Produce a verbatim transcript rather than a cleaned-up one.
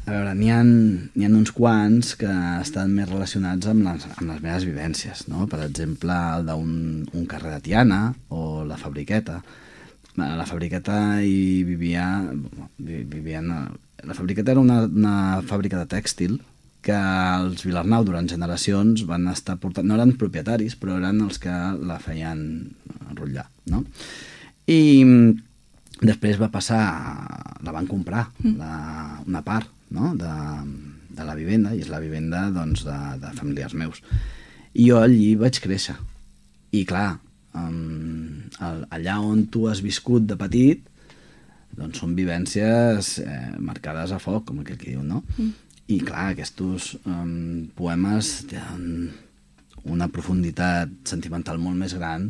A veure, n'hi ha, n'hi ha uns quants que estan més relacionats amb les, amb les meves vivències, no? Per exemple, el d'un un carrer de Tiana o la Fabriqueta. A la Fabriqueta hi vivia... vivien, la Fabriqueta era una, una fàbrica de tèxtil que els Vilarnau durant generacions van estar portant... No eren propietaris, però eren els que la feien enrotllar, no? I després va passar... La van comprar, la, una part, no? de, de la vivenda, i és la vivenda doncs, de, de familiars meus. I jo allí vaig créixer. I clar, um, allà on tu has viscut de petit, doncs són vivències eh, marcades a foc, com aquell que diu, no? Mm. I clar, aquests um, poemes tenen una profunditat sentimental molt més gran